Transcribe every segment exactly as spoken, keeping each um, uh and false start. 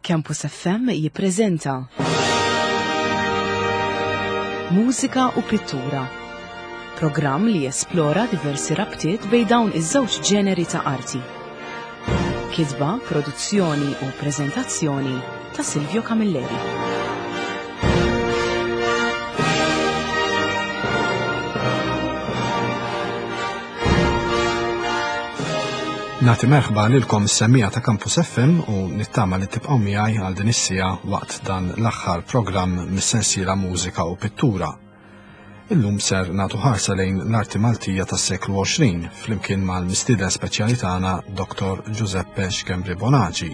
Campus F M jippreżenta Mużika u Pittura, programm li jesplora diversi rabtiet bejn dawn iż-żewġ ġeneri ta' arti. Kitba, produzzjoni u preżentazzjoni ta' Silvio Camilleri. Nagħti merħba lilkom is-semmiegħa ta' Campus F M u nittama li tibqgħu miegħi għal din is-siegħa waqt dan l-aħħar programm mis-sensiela Mużika u Pittura. Illum ser nagħtu ħarsa lejn l-arti Maltija tas-seklu għoxrin flimkien mal-mistieden speċjali tagħna Doktor Giuseppe Schembri Bonaci,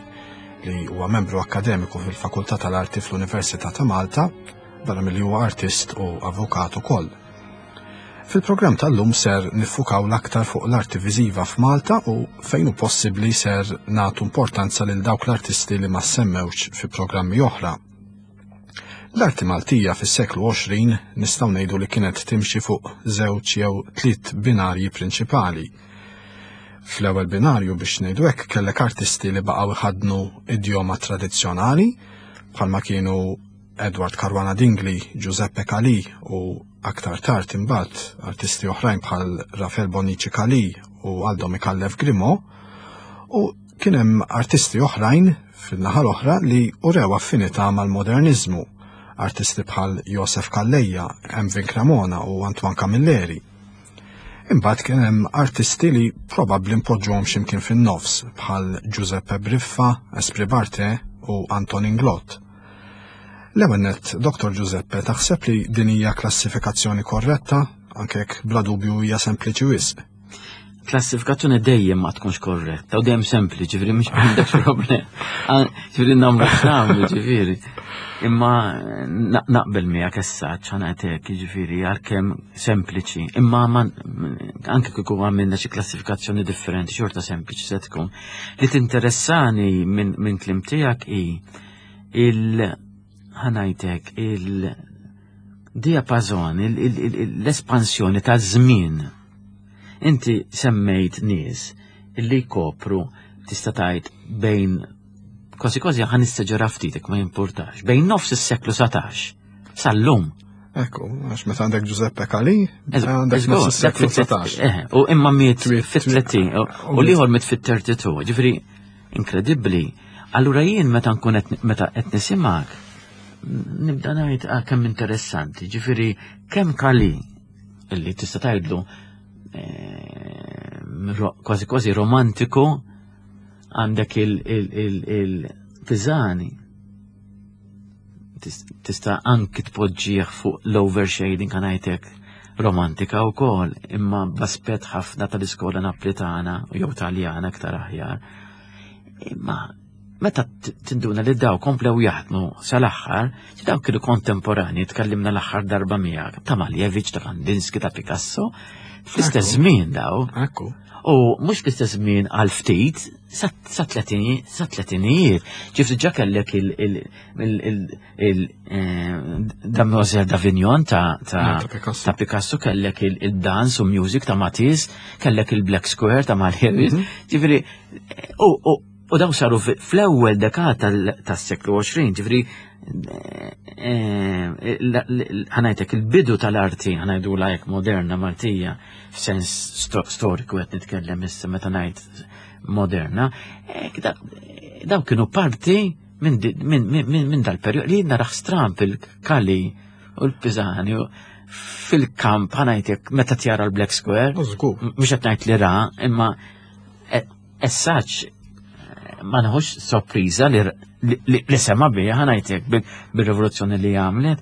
li huwa membru akkademiku fil-Fakultà tal-Arti fl-Università ta' Malta, barra milli huwa artist u avukat ukoll. Fil-programm tal-lum ser niffukaw l-aktar fuq l-arti viżiva f'Malta u fejn hu possibbli ser nagħtu importanza lil dawk l-artisti li ma semmewx fi programmi oħra. L-arti Maltija fis-seklu għoxrin nistgħu ngħidu li kienet timxi fuq żewġ jew tliet binarji prinċipali. Fl-ewwel binarju biex ngħidu hekk kellek artisti li baqgħu iħaddnu idjoma tradizzjonali bħalma kienu Edward Caruana Dingli, Giuseppe Calì u aktar tard imbagħad artisti oħrajn bħal Rafael Bonnici Calì u Aldo Micallef Grimaud, u kien hemm artisti oħrajn fil-naħa l-oħra li urew affinità mal-moderniżmu, artisti bħal Josef Calleja, Emvin Cremona u Antoine Camilleri. Imbagħad kien hemm artisti li probabbli npoġġuhom x'imkien fin-nofs bħal Giuseppe Briffa, Esprit Barthet u Anton Inglott. L-ewwel nett, Doktor Giuseppe, taħseb li din hija klassifikazzjoni korretta, anke jekk bla dubju hija sempliċi wisq? Klassifikazzjoni dejjem ma tkunx korretta u dejjem sempliċi, ġifieri mhux għandek problem. Għan-, ġifieri nagħmlu x'nagħmlu, ġifieri. Imma na-, naqbel miegħek essaċ, ħa ngħidlek, ġifieri għalkemm sempliċi, imma ma-, anke kieku għamilna xi klassifikazzjoni differenti, xorta sempliċi se tkun. Li tinteressani minn, minn kliem tiegħek hi il ħanajtek il-diapazon, il-, il-, il-, l-espansjoni ta' żmien. Inti semmejt nies illi jkopru tista' tgħid bejn kważi kważi ħa nistaġera ftit jekk ma jimpurtax, bejn nofs is-seklu satax sal-lum. Ekku, għax meta għandek Giuseppe Calì, Eżatt, għandek eżatt, nofs is-seklu dak fit-tlet- satax. Eh, u imma miet Twiet, fit-tletin, twiet. u l-ieħor miet fit-thirty-two, ġifieri inkredibbli. Allura jien meta nkun qed meta qed nisimgħek, nibda ngħid, ah, kemm interessanti, ġifieri kemm Calì illi tista' tgħidlu, eh, ro-, kważi kważi romantiku, għandek il-, il-, il-, il-Pisani. Tis-, tista' anki tpoġġih fuq l-overshading ngħidlek romantika wkoll, imma b'aspett ħafna tal-iskola Naplitana jew Taljana aktar aħjar. Imma meta t-, tinduna li daw komplew jaħdmu sal-aħħar, ġi daw kienu kontemporani, tkellimna l-aħħar darba miegħek, ta' Malevich, ta' Kandinsky, ta' Picasso, fl-istess Ekku. żmien daw. Ekku. U mhux fl-istess żmien għal ftit, sa, sa tletini, sa tletinijiet. Ġifri ġa kellek il-, il-, il-, il-, il-, eh, Damoiselle d'Avignon ta', ta' Ta' Picasso. ta' Picasso, kellek il-, il-dance u music ta' Matisse, kellek il-Black Square ta' Malevich. Mhm. Ġifri, u, u, u daw saru fi-, fl-ewwel dekada tal-, tas-seklu għoxrin, ġifri, eh, eh, la-, l-, ħanajtek il-bidu tal-arti, ħanajdu lajk moderna Maltija, f'sens sto-, storiku qed nitkellem issa meta ngħid moderna, eh, da-, daw kienu parti minn di-, minn, minn, minn, minn dal-perjodu li naraħ stramp il-Calì u l-Pisani u fil-kamp ħanajtek meta tjara l-Black Square. U żgur. M-, mhux qed ngħid li ra, imma e-, essaċ ma nħux sorpriża li r-, li, li, li sema bija, ħanajtek bil-, bil-rivoluzzjoni li għamlet.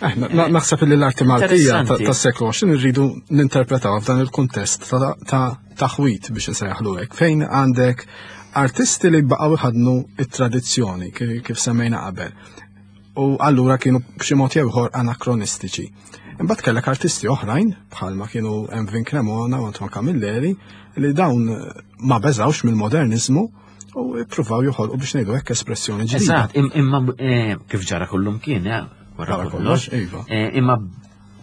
Eh, na-, na-, naħseb li l-arti Maltija ta-, Interessanti. tas-seklu għoxrin irridu ninterpretaw f'dan il-kuntest ta', ta' taħwit biex insejjaħlu hekk, fejn għandek artisti li baqgħu jħaddnu it-tradizzjoni ki-, kif semmejna qabel. U allura kienu b'xi mod jew ieħor anakronistiċi. Imbagħad kellek artisti oħrajn bħalma kienu Emvin Cremona u Antoine Camilleri li dawn ma beżawx mill-modernizmu u ippruvaw joħolqu biex ngħidu hekk espressjoni ġdida. Eżatt, im-, imma, eh, kif ġara kullum kien, eh, wara Wara kollox. kollox, iva. Eh, imma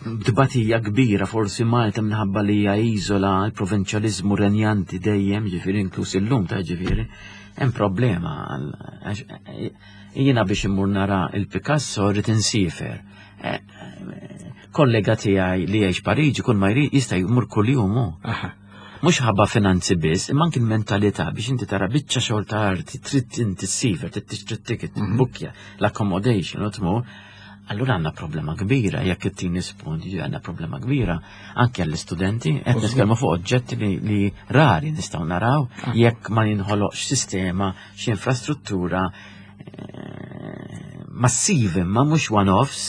b'dbatija kbira forsi Malta minħabba li hija iżola, il-provinċjaliżmu renjanti dejjem, ġifieri inkluż illum ta' ġifieri, Hemm problema jiena biex immur nara il-Picasso rrid insifer. Kollega tiegħi li jgħix Pariġi kull ma jrid jista' jmur kuljum hu. Mhux ħabba finanzi biss, imma anki l-mentalità biex inti tara biċċa xogħol ta' arti, trid inti ssifer, trid tixtri ticket, tbukkja, l-accommodation u tmur. Allura għandna problema kbira, jekk it-tini spunt, għandna problema kbira anke għall-istudenti, qed nitkellmu fuq oġġetti li, li rari nistgħu naraw jekk ma jinħoloqx sistema, xi infrastruttura massivi, ma mhux one-offs,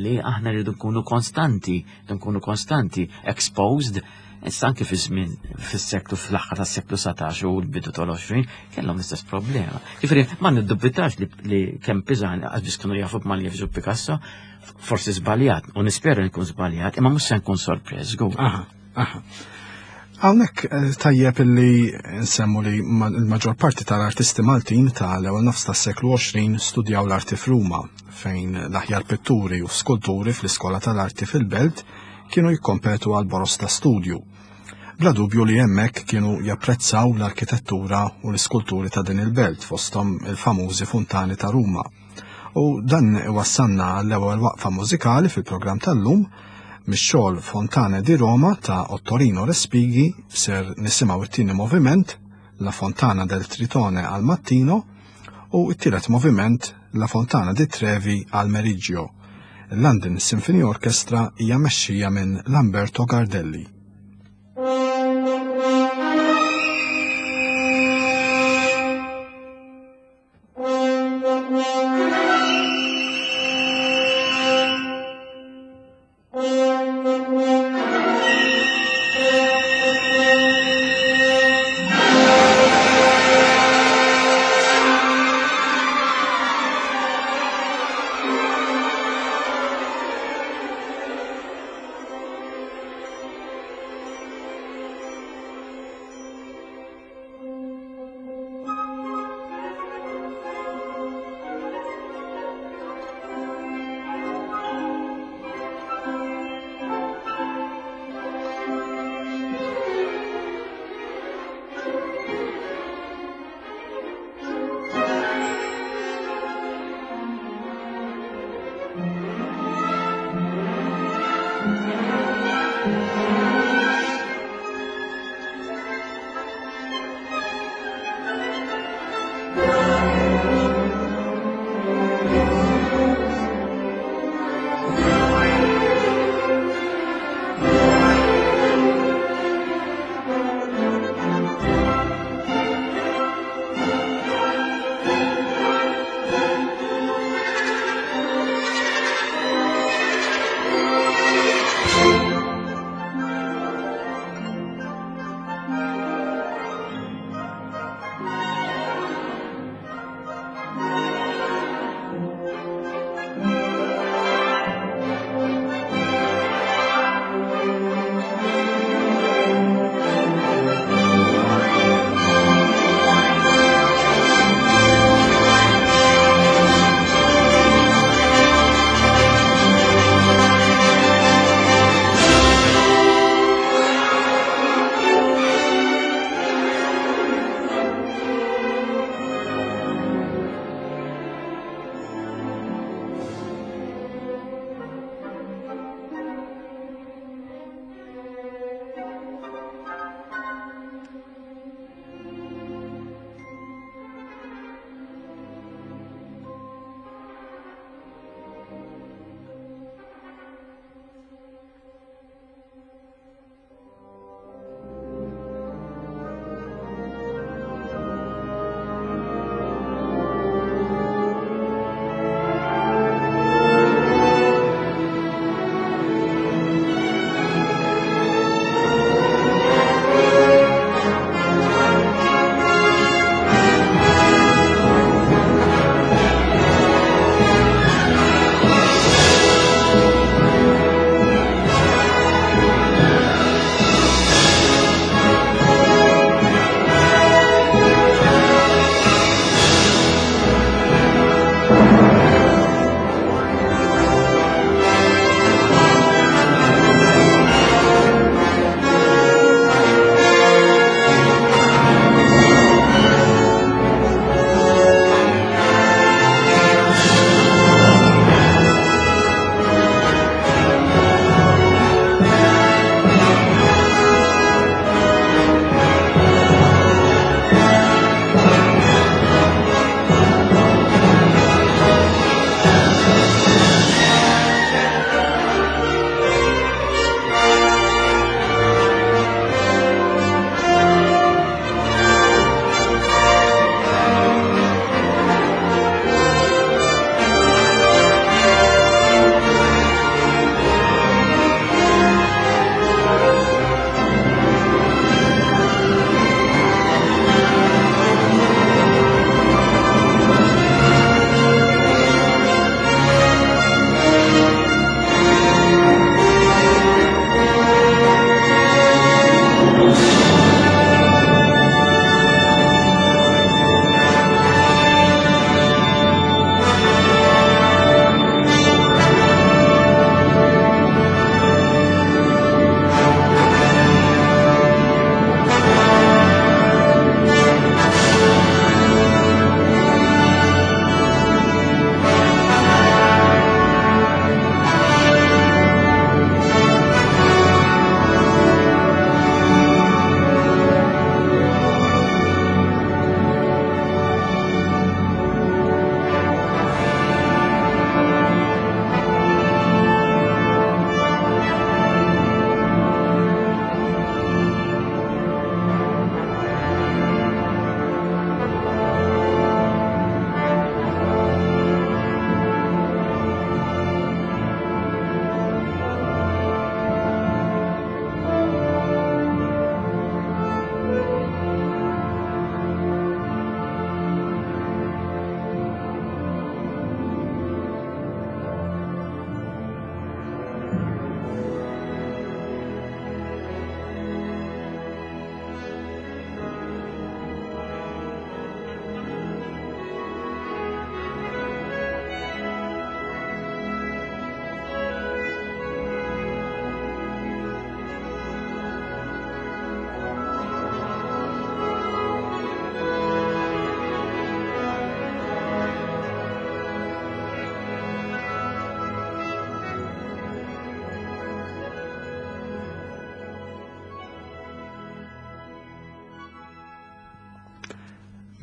li aħna rridu nkunu konstanti, nkunu konstanti, exposed. Issa anke fi żmien fis-seklu fl-aħħar tas-seklu satax u l-bidu tal-għoxrin kellhom l-istess problema. Ġifieri ma niddubitax li, li kemm Pisani għax biss kienu jafu b'Maljevic u Picasso, forsi żbaljat u nispera nkun żbaljat, imma mhux se nkun sorpreż żgur. Aha, aha. Hawnhekk tajjeb illi nsemmu li l-maġġor parti tal-artisti Maltin tal-ewwel nofs tas-seklu għoxrin studjaw l-arti f'Ruma, fejn l-aħjar pitturi u skulturi fl-iskola tal-arti fil-belt kienu jikkompetu għal boros ta' studju. Bla dubju li hemmhekk kienu japprezzaw l-arkitettura u l-iskulturi ta' din il-belt fosthom il-famużi funtani ta' Ruma. U dan iwassalna għall-ewwel waqfa mużikali fil-programm tal-lum mix-xogħol Fontane di Roma ta' Ottorino Respighi ser nisimgħu it-tieni moviment La Fontana del Tritone al Mattino u t-tielet moviment La Fontana di Trevi al Meriggio. Il-London Symphony Orchestra hija mexxija minn Lamberto Gardelli.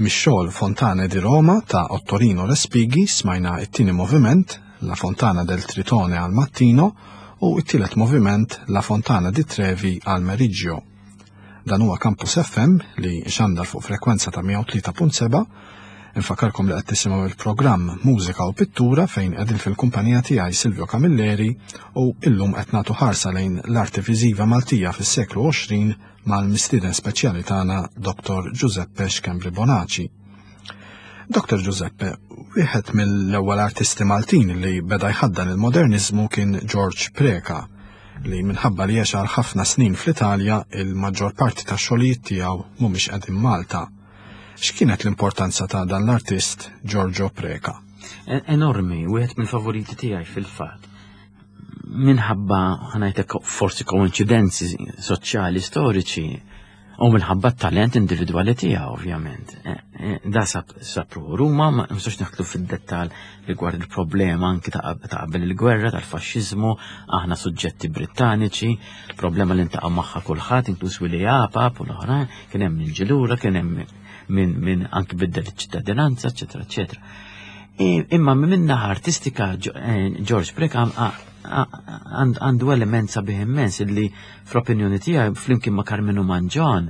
Mix-xogħol Fontane di Roma ta' Ottorino Respighi smajna it-tieni moviment, La Fontana del Tritone al Mattino, u it-tielet moviment, La Fontana di Trevi al Meriggio. Dan huwa Campus F M li xandar fuq frekwenza ta' mija u tlieta punt seba'. Infakarkom li qed tisimgħu il-programm Mużika u Pittura, fejn qegħdin fil-kumpanija tiegħi Silvio Camilleri, u illum qed nagħtu ħarsa lejn l-arti viżiva Maltija fis-seklu għoxrin mal-mistieden speċjali tagħna, Doktor Giuseppe Schembri Bonaci. Doktor Giuseppe, wieħed mill-ewwel artisti Maltin li beda jħaddan il-modernizmu kien George Preka, li minħabba li għex għal ħafna snin fl-Italja, il-maġġor parti ta' xogħlijiet tiegħu mhumiex qegħdin Malta. X'kienet l-importanza ta' dan l-artist Giorgio Preca? Enormi, wieħed mill-favoriti tiegħi fil-fatt. Minħabba, ħa ngħidlek, forsi koincidenzi soċjali storiċi u minħabba t-talent individwali tiegħu, ovvjament. E, e, da sab sapru Ruma, ma nistax naħtlu fid-dettal rigward il-problema anki ta' qabel il-gwerra tal-faxxiżmu, aħna suġġetti Brittaniċi, problema li ntaqgħu magħha kulħadd, inkluż Willie Apap u l-oħrajn, kien hemm min ġilura, kien hemm minn min anki biddel iċ-ċittadinanza, eċetera, eċetera. Imma minn naħa artistika eh, George Preca għandu element sabiħ immens illi fl-opinjoni tiegħi, flimkien ma' Karmenu Mangion,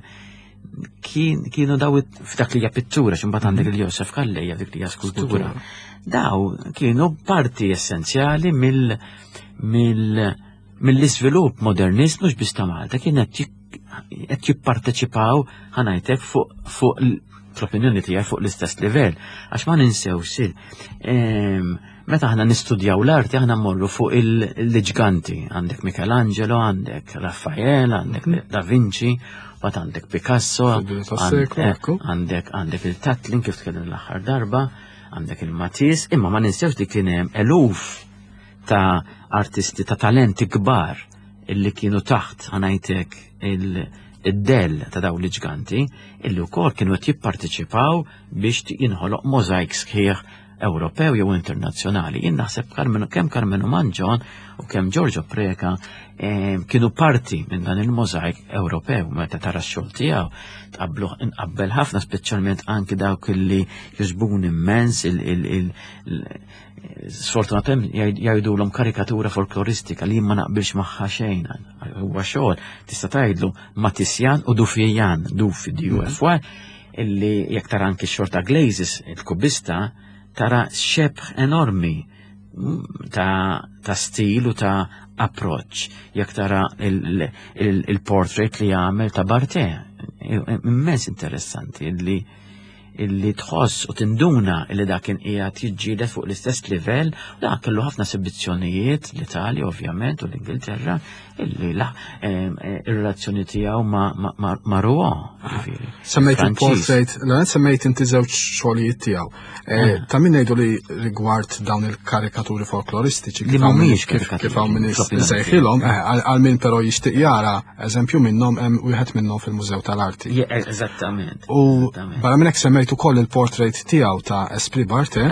kienu daw f'dak li hija pittura, x'imbagħad għandek mhm. il-Josef Calleja dik li hija skultura. Daw kienu parti essenzjali mill mill mill-iżvilupp modernist mhux biss ta' Malta, kien qed jipparteċipaw, ħa ngħidlek, fuq fuq fl-opinjoni tiegħi fuq l-istess livell, għax ma ninsewx, meta aħna nistudjaw l-arti, aħna mmorru fuq il-ġganti, għandek Michelangelo, għandek Raffaele, għandek mhm. Da Vinci, bat għandek Picasso, eh, għandek għandek il-Tatlin kif tkellim l-aħħar darba, għandek il-Matisse, imma ma ninsewx li kien hemm eluf ta' artisti ta' talenti kbar illi kienu taħt, ħa ngħidlek, id-del ta' dawn l-ġganti, illi wkoll kienu qed jipparteċipaw biex jinħoloq mozaik sħiħ Ewropew jew internazzjonali. Jien naħseb kemm Karmenu Mangion u kemm Giorgio Preca eh, kienu parti minn dan il-mozaik Ewropew. Meta tara x-xogħol tiegħu, tqablu inqabbel ħafna, speċjalment anki dawk illi jogħġbuni immens, sfortunatament jgħidulhom karikatura folkloristika, li ma naqbilx magħha xejn. Huwa xogħol tista' tgħidlu Matisjan u Dufijan, Dufi D U F Y, illi jekk tara anki x-xogħol ta' Glazes, il-kubista, tara xebħ enormi ta', ta stil u ta' approach. Jekk tara il-portrait li jagħmel ta' Barthe, immens interessanti illi illi tħoss u tinduna illi dak kien qiegħed jiġġieled fuq l-istess livell, u dak kellu ħafna esibizzjonijiet l-Italja ovvjament u l-Ingilterra, illi la ir-relazzjoni tiegħu ma' ma' Rouen, ġifieri. Semmejt il-portrait, l semmejt inti żewġ xogħlijiet tiegħu. Eh, ta' min ngħidu li rigward dawn il-karikaturi folkloristiċi li mhumiex kif kif hawn min sejħilhom, eh, għal min però jixtieq jara eżempju minnhom, hemm wieħed minnhom fil-Mużew tal-Arti. Eżattament. U barra minn hekk semmejt ukoll il-portrait tiegħu ta' Esprit Barthe.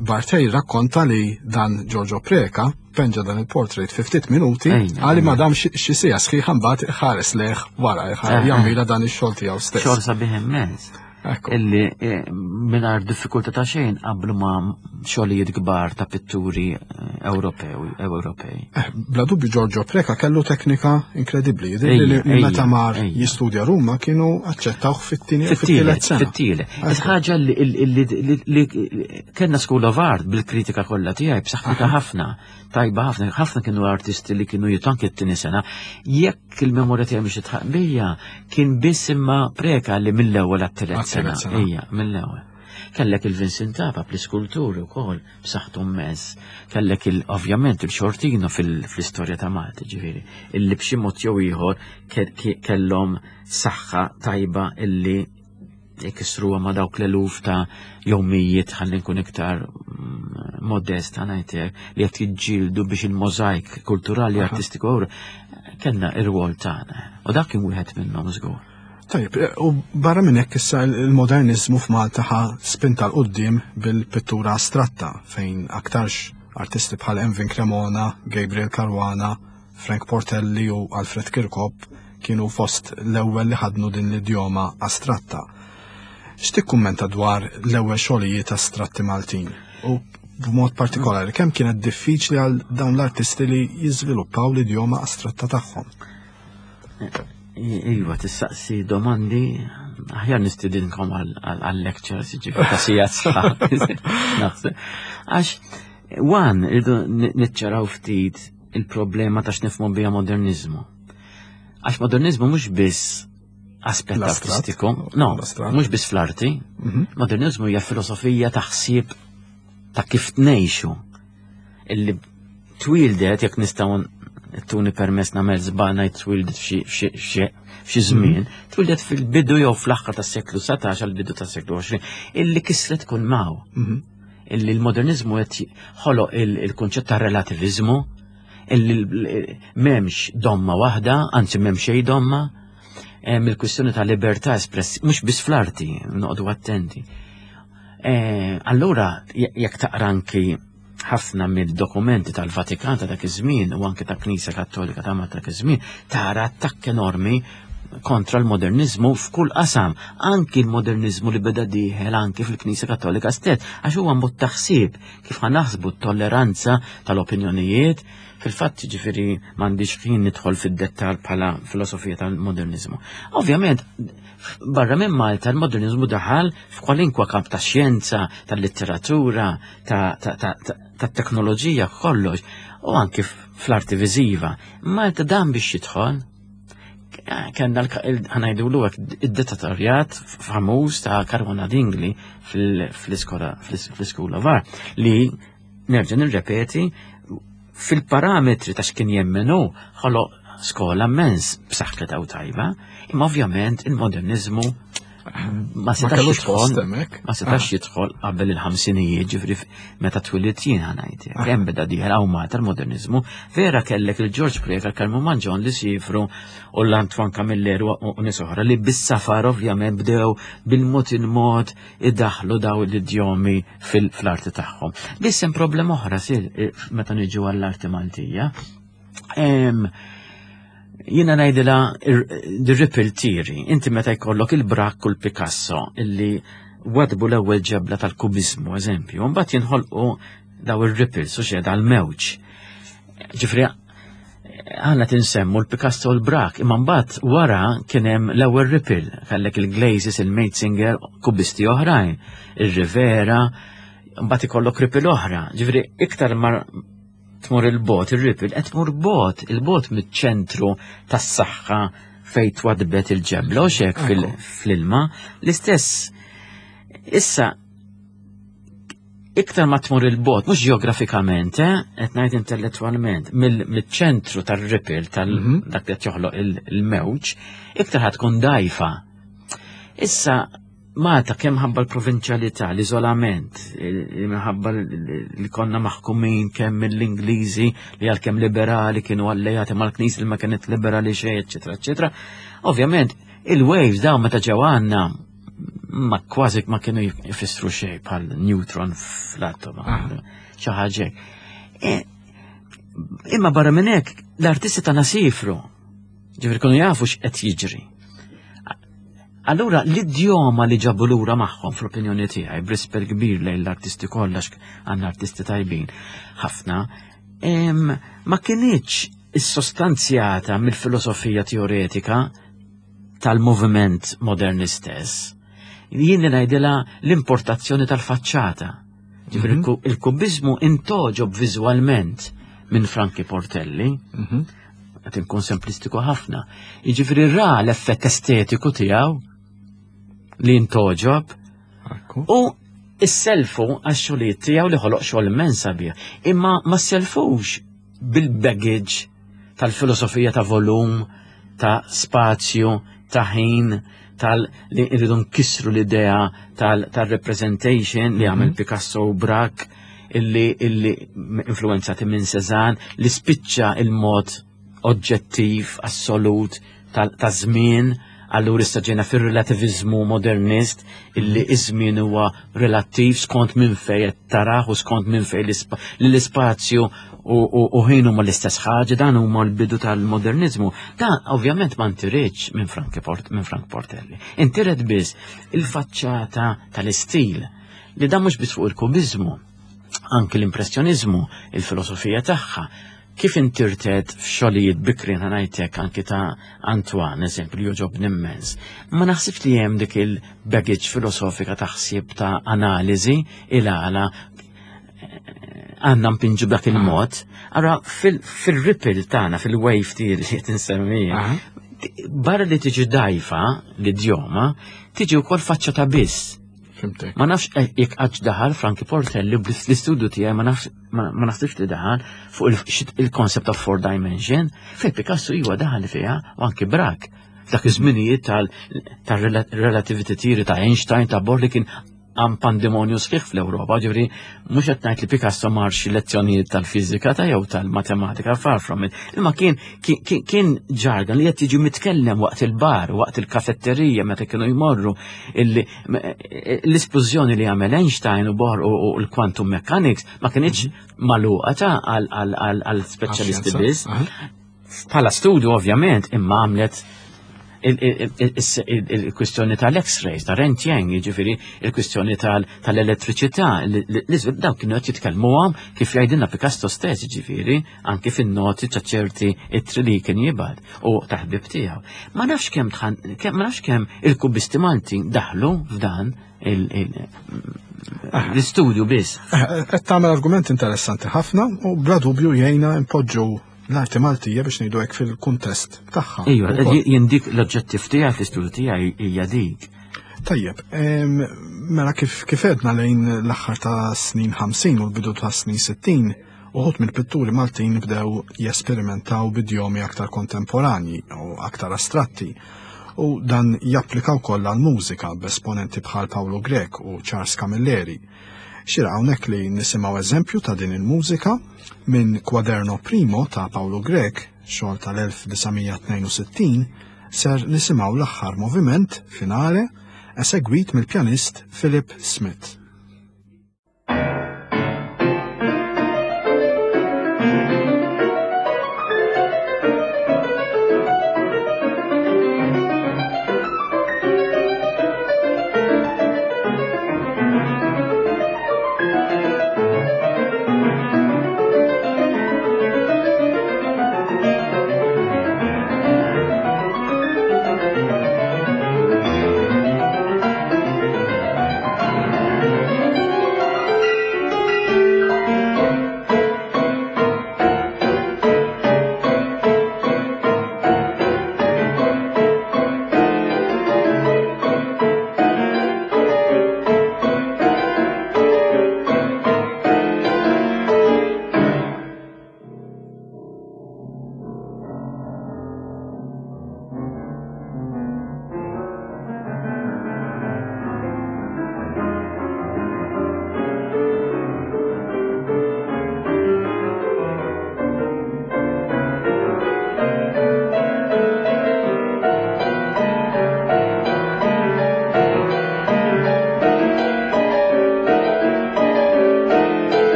Barthe jirrakkonta li dan Giorgio Preca penġa dan il-portrait fi ftit minuti, għali ma dam xi siegħa sħiħa mbagħad ħares lejh wara jammira dan ix-xogħol tiegħu stess. Xogħol sabiħ immens. Illi eh, mingħajr diffikultà ta' xejn qablu ma' xogħlijiet kbar ta' pitturi eh, Ewropew Ewropej. Eh, bla dubju Giorgio Preca kellu teknika inkredibbli. Li meta mar jistudja Ruma kienu aċċettawh fit-tieni fit-tielet sena. Fit-tielet. Ħaġa li kellna School of Art, bil-kritika kollha tiegħi, b'saħħitha ħafna, tajba ħafna, ħafna kienu artisti li kienu jitu anke t-tieni sena. Jekk il-memorja tiegħi mhix titħaq bija, kien biss imma Preca li mill-ewwel għat-tielet sena. Ejja, mill-ewwel. Kellek il-Vincent Apap l-iskulturi wkoll b'saħħtu immens. Kellek il ovvjament il-Sciortino fil-istorja ta' Malta, ġifieri, illi b'xi mod jew ieħor kellhom saħħa tajba illi jkissruha ma' dawk l-eluf ta' jew mijiet, ħalli nkun iktar mm, modest, ħa ngħidlek, li qed jiġġieldu biex il-mozaik kulturali artistiku kellna ir-rwol tagħna. U dak kien wieħed minnhom żgur. Tajjeb, u barra minn hekk issa il-modernizmu f'Malta ħa spinta 'l quddiem bil-pittura astratta, fejn aktarx artisti bħal Emvin Cremona, Gabriel Caruana, Frank Portelli u Alfred Kirkop kienu fost l-ewwel li ħadnu din l-idjoma astratta. X'tikkummenta dwar l-ewwel xogħlijiet astratti Maltin? U b'mod partikolari, kemm kienet diffiċli għal dawn l-artisti li jiżviluppaw l-idjoma astratta tagħhom? Iva, tistaqsi domandi, aħjar nistidinkom għal-lectures, ġifieri ta' sigħat sħaħ. Naħseb. Għax, one, irridu niċċaraw ftit il-problema ta' x'nifhmu biha modernizmu. Għax modernizmu mhux biss aspett L-astratt. artistiku, no, L-astratt. mhux biss fl-arti. Mhm. Modernizmu hija filosofija ta' ħsieb ta' kif tnejxu. Illi twildet, jekk nistgħu tuni permess nagħmel żball ngħid twildet f'xi- f'xi f'xi- f'xi żmien, twildet fil-bidu jew fl-aħħar tas-seklu satax għal bidu tas-seklu għoxrin, illi kisret kull maw. Mhm. Illi l-modernizmu qed ħoloq il- il-kunċett ta' relativizmu, illi l- m'hemmx domma waħda, anzi m'hemm xejn domma, hemm il-kwistjoni ta' libertà espress, mhux biss fl-arti, noqogħdu attenti. Eh, Allura, je- jekk taqra anki ħafna mill-dokumenti tal-Vatikan ta' dak iż-żmien u anke ta' Knisja Kattolika ta' Malta dak iż-żmien, tara attakk enormi kontra l-modernizmu f'kull qasam, anki l-modernizmu li beda dieħel anki fil-Knisja Kattolika stess, għax huwa mod taħsib kif ħa naħsbu t-tolleranza tal-opinjonijiet. Fil-fatt, ġifieri, m'għandix ħin nidħol fid-dettal bħala filosofija tal-modernizmu. Ovvjament, barra minn Malta l-modernizmu daħal f'kwalinkwa kamp ta' xjenza, tal-litteratura, ta' ta' ta' ta' ta' teknoloġija, kollox, u anki fl-arti viżiva. Malta dan biex jidħol, kellna ħa ngħidulu id-dittatorjat famuż ta' Caruana Dingli fl-iskola fl-School of Art li, nerġa' nirrepeti, fil-parametri ta' x'kien jemmenu ħoloq skola immens b'saħħitha u tajba, imma ovvjament il-modernizmu ma setax kellux jidħol post hemmhekk. Ma setax jidħol qabel il-ħamsinijiet, ġifieri meta twilidt jien ħa ngħid. Hemm beda dieħel hawn Malta l-modernizmu, vera kellek il-George Preca, Karmu Mangion li sifru u l-Antoine Camilleri u u nies oħra li bis-safar ovvjament bdew bil-mod il-mod idaħlu daw l-idjomi fil-arti tagħhom. Biss hemm problema oħra sir eh, meta niġu għall-arti Maltija. Em, Jiena ngħidilha the ripple theory. Inti meta jkollok il-Braque u l-Picasso illi wadbu l-ewwel ġebla tal-kubizmu, eżempju, mbagħad jinħolqu daw ir-ripples u xed għal-mewġ. Ġifieri, għandna tinsemmu l-Picasso u l-Braque, imma mbagħad wara kien hemm l-ewwel ripple, kellek il-Glazes, il-Maitzinger, kubisti oħrajn, il-Rivera, mbagħad ikollok ripple oħra. Ġifieri, iktar ma tmur il-bogħod, il-ripple, qed tmur bogħod, il-bogħod miċ-ċentru tas-saħħa fejn twadbet il-ġebla u xek fil- fl-ilma, l-istess. Issa, iktar ma tmur il-bogħod, mhux ġeografikament, eh, qed ngħid intellettwalment, mill-ċentru tar-ripple tal Mhm. dak li qed joħloq il- il-mewġ, iktar ħad tkun dajfa. Issa, Malta kemm ħabba l-provinċjalità, l-iżolament, il- minħabba li konna maħkumin kemm mill-Ingliżi li għalkemm liberali kienu allejati mal-Knisja li ma kienet liberali xejn, eċetera, eċetera. Ovvjament, il-waves dawn meta ġew għandna ma kważi ma kienu jfissru xejn bħal neutron fl-atom, xi ħaġa hekk. E, Imma barra minn hekk l-artisti tagħna sifru. Ġifieri kienu jafu x'qed jiġri. Allura l-idjoma li ġabu lura magħhom, fl-opinjoni tiegħi, b'rispett kbir lejn l-artisti kollha, għandna artisti tajbin ħafna, em, ma kinitx issostanzjata mill-filosofija teoretika tal-moviment modern stess. Jien ngħidilha l-importazzjoni tal-faċċata. Ġifieri Mhm. il-ku- il-kubizmu intogħġob viżwalment minn Frankie Portelli, Mhm. qed inkun semplistiku ħafna. Jiġifieri ra l-effett estetiku tiegħu li intogħġob Ekku. u isselfu għax-xogħlijiet tiegħu li ħoloq xogħol immens sabiħ. Imma ma sellfux bil-baggage tal-filosofija ta' volum, ta' spazju, ta' ħin, tal li rridu nkissru l-idea tal-representation li għamel Picasso u Braque illi, illi influenzati minn Cézanne, li spiċċa il-mod oġġettiv, assolut, ta' żmien. Allura issa ġejna fir-relativizmu modernist illi iż-żmien huwa relattiv skont minn fejn qed tarah u skont minn fejn l-ispazju u ħin huma l-istess ħaġa, dan huma l-bidu tal-modernizmu. Dan ovvjament ma ntiritx minn Frank minn Frank Portelli. Intiret biss il-faċċata tal-istil li dan mhux biss fuq il-kubizmu, anki l-impressjonizmu, il-filosofija tagħha. Kif intirtet f'xogħlijiet bikrin ħanajtek anki ta' Antoine, eżempju, li joġobni immens. Ma naħsibx li hemm dik il-baggage filosofika ta' ħsieb ta' analiżi il-għala għandna mpinġu b'dak il-mod. Ara fil-ripple tagħna, fil-wave theory li qed insemmija, barra li tiġi dajfa l-idjoma, tiġi wkoll faċċata biss. Fimtek. Ma nafx jekk qatt daħal Frankie Portelli bl-istudju tiegħi ma nafx ma naħsibx li daħal fuq il-concept of four dimension, fejn Picasso iwa daħal fiha u anki Braque. F'dak iż-żminijiet tal-relativity theory ta' Einstein ta' Bohr li kien għam pandemonju sħiħ fl-Ewropa, ġifieri mhux qed ngħid li Picasso mar xi lezzjonijiet tal-fiżika ta' jew tal-matematika, far from it. Imma kien kien ġargan li qed jiġi mitkellem waqt il-bar, waqt il-kafetterija meta kienu jmorru l-isplużjoni li għamel Einstein u Bohr u l-quantum mechanics ma kienx magħluqa ta' għal speċjalisti biss. Bħala studju ovvjament imma għamlet il-kwistjoni tal-X-rays, ta' Röntgen, jiġifieri il-kwistjoni tal-elettriċità, dawk kienu qed jitkellmuhom kif jgħidilna Picasso stess, jiġifieri anki fin-noti ta' ċerti ittri li kien jibgħat u taħbib tiegħu. Ma nafx kemm ma nafx kemm il-kubisti Maltin daħlu f'dan l-istudju biss. Qed tagħmel argument interessanti ħafna u bla dubju jgħinna impoġġu l-arti Maltija biex ngħidu hekk fil-kuntest tagħha. Ejwa, jien dik l-oġġettiv tiegħi fl-istudju tiegħi hija dik. Tajjeb, mela kif kif għedna lejn l-aħħar ta' snin ħamsin u l-bidu ta' snin sittin, uħud mill-pitturi Maltin bdew jesperimentaw b'idjomi aktar kontemporanji u aktar astratti. U dan japplika wkoll għall-mużika b'esponenti bħal Paolo Grech u Charles Camilleri. Xira hawnhekk li nisimgħu eżempju ta' din il-mużika minn Quaderno Primo ta' Paolo Grech, xogħol tal-elf disa' mija tnejn u sittin, ser nisimgħu l-aħħar moviment finale esegwit mill-pjanist Philip Smith. Thank you.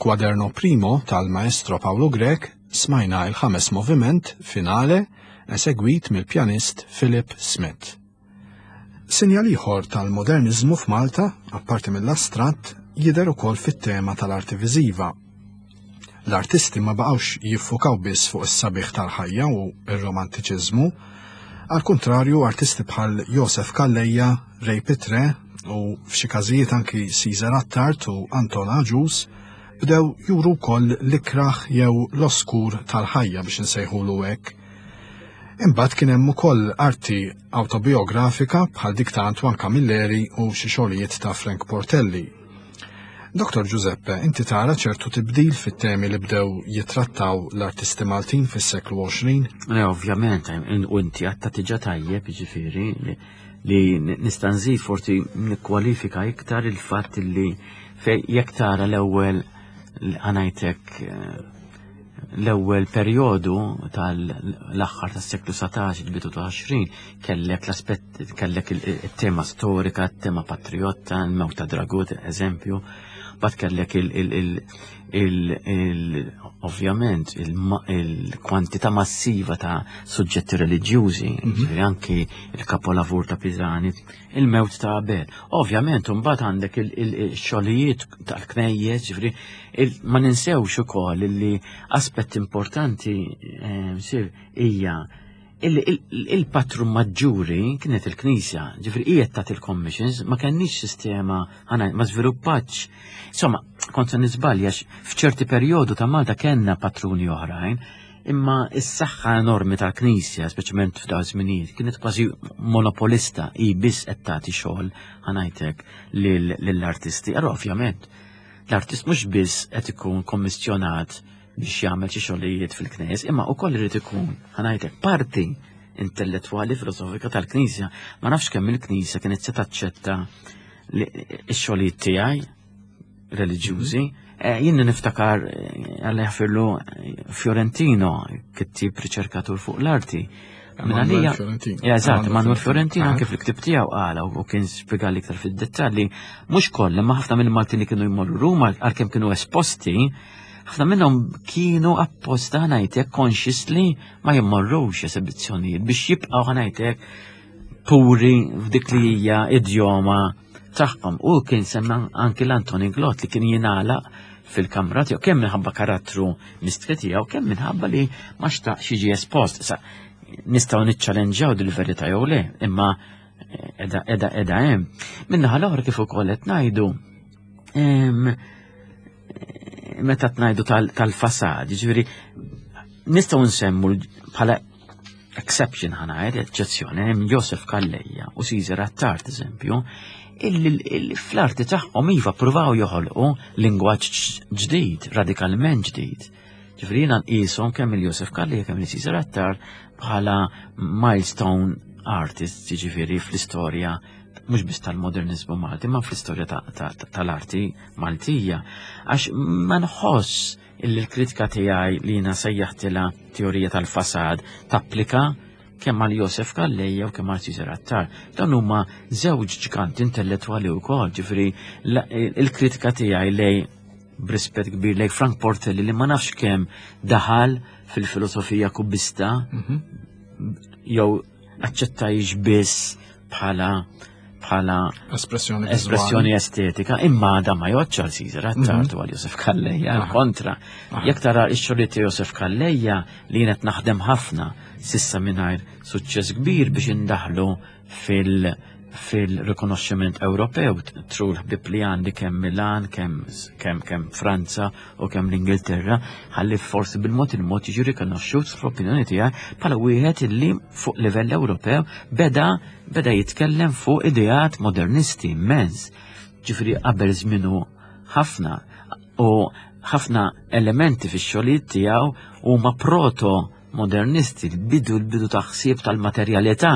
Mill-Quaderno Primo tal-Maestro Paolo Grech smajna il-ħames moviment finale esegwit mill-pjanist Philip Smith. Sinjal ieħor tal-modernizmu f'Malta, apparti mill-astratt, jidher ukoll fit-tema tal-arti viżiva. L-artisti ma baqgħux jiffukaw biss fuq is-sabiħ tal-ħajja u r-romantiċiżmu, għal kuntrarju artisti bħal Josef Calleja, Ray Pitre u f'xi każijiet anki Caesar Attard u Anton Agius bdew juru wkoll l-ikraħ jew l-oskur tal-ħajja biex insejħulu hekk. Imbagħad kien hemm ukoll arti autobiografika bħal dik ta' Antoine Camilleri u xi xogħlijiet ta' Frank Portelli. Dottor Giuseppe, inti tara ċertu tibdil fit-temi li bdew jitrattaw l-artisti Maltin fis-seklu għoxrin? Le, ovvjament, u inti għatta tiġa tajjeb, jiġifieri, li, li nista' nżid forsi nikkwalifika iktar il-fatt li fej jekk tara l-ewwel għanajtek l-ewwel perjodu tal-aħħar tas-seklu satax, il-bidu ta' għoxrin, kellek l-aspett, kellek il-tema storika, il-tema patriotta, il-mewt ta' Dragut, eżempju, bat kellek il-, il-, il-, il-, il-, ovvjament il-kwantità massiva ta' suġġetti reliġjużi, Mhm. ġifieri anki il-kapolavur ta' Pisani, il-mewt ta' Abel. Ovvjament, mbagħad għandek il-xogħlijiet tal-knejjes, ġifieri ma ninsewx ukoll li aspett importanti, eh, sir hija il-patrun maġġuri kienet il-Knisja, ġifieri qiegħed tagħti il-commissions, ma kenniex sistema, ħana, ma żviluppatx. Insomma, kont se niżbalja f'ċerti perjodu ta' Malta kellna patruni oħrajn, imma s-saħħa enormi tal-Knisja, speċjalment f'dawn iż-żminijiet, kienet kważi monopolista, hi biss qed tagħti xogħol ħanajtek lill-artisti. Allora ovvjament, l-artist mhux biss qed ikun kommissjonat biex jagħmel xi xogħlijiet fil-Knisja, imma wkoll irid ikun ħanajtek parti intellettwali filosofika tal-Knisja. Ma nafx kemm il-Knisja kienet se taċċetta x-xogħlijiet tiegħi reliġjużi. Eh, jien niftakar, eh, Alla jaħfirlu, eh, Fiorentino, kittib riċerkatur fuq l-arti. Minn Manuel għalija- Fiorentino. Ja, eżatt, Manuel Manuel Fiorentino. Fiorentino Aha. anke fil-ktib tiegħu qala u kien spjega iktar fid-dettalji, mhux kollha, ma ħafna minn Maltin li kienu jmorru Ruma għalkemm kienu esposti, ħafna minnhom kienu apposta ħanajtek consciously ma jmorrux esibizzjonijiet biex jibqgħu ħanajtek puri f'dik li hija idjoma tagħhom. U kien semma anki l-Anton Inglott li kien jingħalaq fil-kamra tiegħu kemm minħabba karattru mistri tiegħu, kemm minħabba li ma xtaqx jiġi espost. Issa nistgħu niċċalenġaw dil-verità jew le, imma edha edha edha hemm. Min-naħa l-oħra kif ukoll qed ngħidu, em, meta tnajdu tal- tal-fasad, jiġifieri nistgħu nsemmu bħala exception ħanajt, eċċezzjoni, hemm Josef Calleja u Caesar Attard, eżempju, illi illi fl-arti tagħhom iva pruvaw joħolqu lingwaġġ ġdid, radikalment ġdid. Ġifieri jiena nqishom kemm il-Josef Calleja kemm il-Caesar Attard bħala milestone artists, jiġifieri fl-istorja mhux biss tal-modernizmu Malti, ma fl-istorja ta- ta- ta- tal-arti Maltija. Għax ma nħoss illi l-kritika tiegħi li jiena sejjaħtilha teorija tal-fasad tapplika kemm għal Josef Calleja u kemm għal Caesar Attard. Dan huma żewġ ġganti intellettwali wkoll, ġifieri la- il-kritika tiegħi lej b'rispett kbir lej Frank Portelli li ma nafx kemm daħal fil-filosofija kubista Mhm. jew aċċettajx biss bħala bħala Espressjoni espressjoni estetika, imma da ma jgħodx għal Caesar Attard u għal Josef Calleja, Aha. kontra. Aha. Jekk tara x-xogħlijiet ta' Josef Calleja li jien qed naħdem ħafna sissa mingħajr suċċess kbir biex indaħlu fil- fil-rikonoxximent Ewropew tru l-ħbib li għandi kemm Milan, kemm kemm kemm Franza u kemm l-Ingilterra, ħalli forsi bil-mod il-mod jiġi rikonoxxut fl-opinjoni tiegħi bħala wieħed illi fuq livell Ewropew beda beda jitkellem fuq ideat modernisti immens. Ġifieri qabel żmienu ħafna u ħafna elementi fix-xogħlijiet tiegħu huma proto-modernisti, l-bidu l-bidu ta' ħsieb tal-materjalità.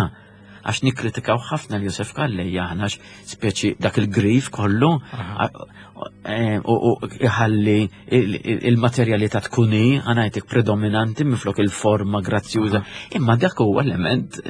Għax nikkritikaw ħafna l Josef Calleja aħna għax speċi dak il-grif kollu Aha. a-, e, u, u iħalli il-, il-, il-materjalità tkun hi, għanajtek predominanti minflok il-forma grazzjuża. Imma dak huwa element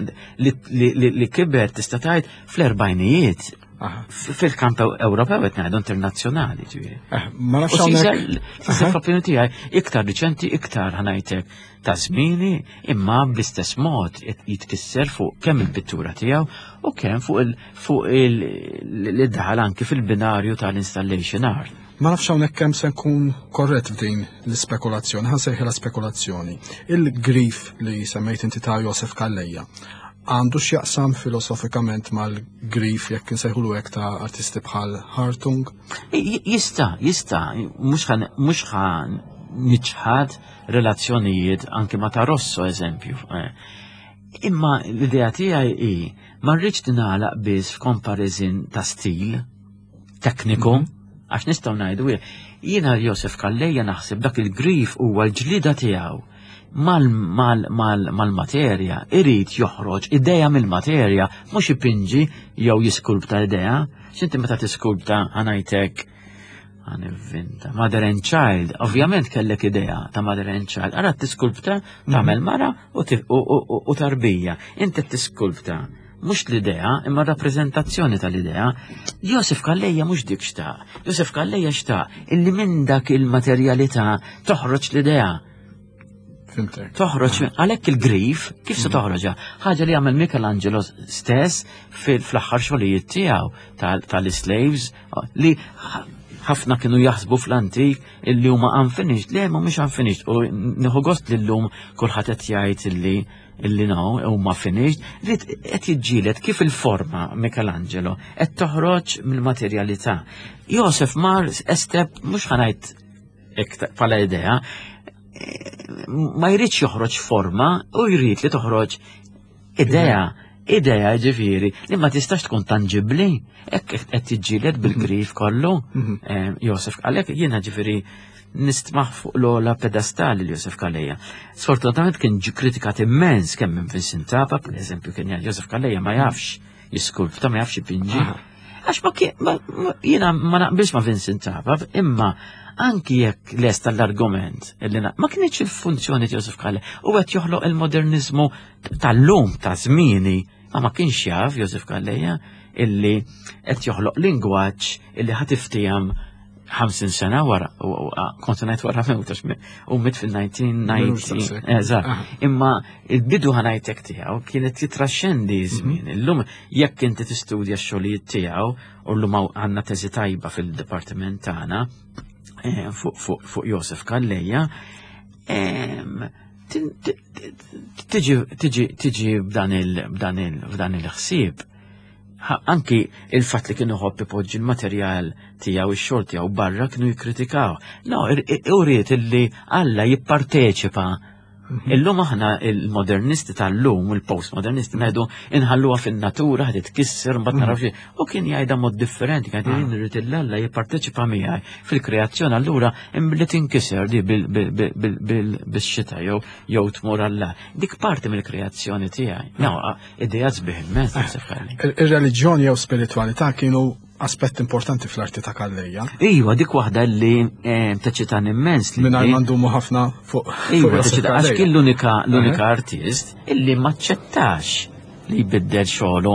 li, li, li, li kiber tista' tgħid fl-erbajnijiet. Fil-kamp Ewropew qed ngħidu internazzjonali, ġifieri. Eh, ma nafx hawnhekk. Fl-opinjoni tiegħi iktar riċenti, iktar ħa ngħidlek ta' żmieni, imma bl-istess mod jitkisser fuq kemm il-pittura tiegħu u kemm fuq il fuq il-daħal anki fil-binarju tal-installation art. Ma nafx hawnhekk kemm se nkun korrett f'din l-ispekulazzjoni, ħa nsejħilha spekulazzjoni. Il-grief li semmejt inti ta' Josef Calleja għandu x'jaqsam filosofikament mal-grief jekk insejħulu hekk ta' artisti bħal Hartung? Jista, jista, mhux ħa niċħad relazzjonijiet anke ma ta' Rosso eżempju. Eh. Imma l-idea tiegħi hi ma rridx tingħalaq biss f'comparison ta' stil tekniku, mhm. għax nistgħu ngħidu jiena Josef Calleja naħseb dak il-grief huwa l-ġlida tiegħu mal-materja, irid joħroġ ideja mill-materja, mhux ipinġi jew jiskulpta idea. X'inti meta tiskulpta ħa ngħidlek ħa nivvinta. Mother and Child, ovvjament kellek idea ta' Mother and Child. Ara tiskulpta tagħmel mara u tarbija. Inti tiskulpta mhux l-idea, imma rappreżentazzjoni tal-idea. Josef Calleja mhux dik xtaq. Josef Calleja xtaq illi minn dak il-materjalità toħroġ l-idea. Fhimtek. Toħroġ, għalhekk il-grief, kif se toħroġha? Ħaġa li għamel Michelangelo stess fl-aħħar xogħlijiet tiegħu tal-slaves li ħafna kienu jaħsbu fl-antik illi huma unfinished, le ma mhux unfinished u nieħu gost li llum kulħadd qed jgħid illi illi no huma finished, li qed jiġġieled kif il-forma Michelangelo qed toħroġ mill-materjalità. Josef mar step mhux ħa ngħid bħala idea, ma jridx joħroġ forma u jrid li toħroġ idea. Idea ġifieri li ma tistax tkun tangibli, hekk qed tiġġieled bil-grief kollu. Mhm. Eh, Josef għalhekk jiena ġifieri nistmaħ fuq l-ogħla pedestali li Josef Calleja. Sfortunatament kien ġi kritikat immens kemm minn Vincent Apap, per eżempju, kien jgħid Josef Calleja ma jafx jiskulpta, ma jafx ipinġi. Għax ma kien, ma- ma- jiena ma naqbilx ma' Vincent Apap, imma anki jekk lest tal-argument illi na- ma kienx il-funzjoni ta' Josef Calleja u qed joħloq il-modernizmu tal-lum ta' żmieni, ma ma kienx jaf Josef Calleja illi qed joħloq lingwaġġ illi ħa tiftiehem ħamsin sena wara, u- u- kont ngħid wara mewt għax mi- u miet fil-elf disa' mija u disgħin. Eżatt. Aha. Imma il-bidu ħa ngħidlek tiegħu kienet jitraxxendi żmien. Illum jekk inti tistudja x-xogħlijiet tiegħu u llum hawn għandna teżi tajba fil-dipartiment tagħna eh, fuq fuq fuq Josef Calleja, em, tin- ti- ti- tiġi tiġi tiġi b'dan il b'dan il b'dan il-ħsieb. Ha- Anki il-fatt li kienu ħobb ipoġġi l-materjal tiegħu ix-xogħol tiegħu barra kienu jikkritikaw. No, uriet illi Alla jipparteċipa. Illum aħna il-modernisti tal-lum, il-postmodernisti ngħidu inħalluha fin-natura ħad titkisser mbagħad naraw xi. U kien jgħidha mod differenti, kien jgħid irrid il-Alla jipparteċipa miegħi fil-kreazzjoni allura imbilli tinkiser di bil- bil- bil- bil- bil- bix-xita jew jew tmur Alla. Dik parti mill-kreazzjoni tiegħi. No, idea sbieħ immens naħseb Calleja. Il- Ir-reliġjoni jew spiritualità kienu aspett importanti fl-arti ta' Calleja. Iva, dik waħda li eh, teċċitani immens li. Mingħajr ma ndumu ħafna fuq fuq Iva, Josef teċċita, għax Calleja. kien l-unika l-unika artist illi maċċettax li jbiddel xogħlu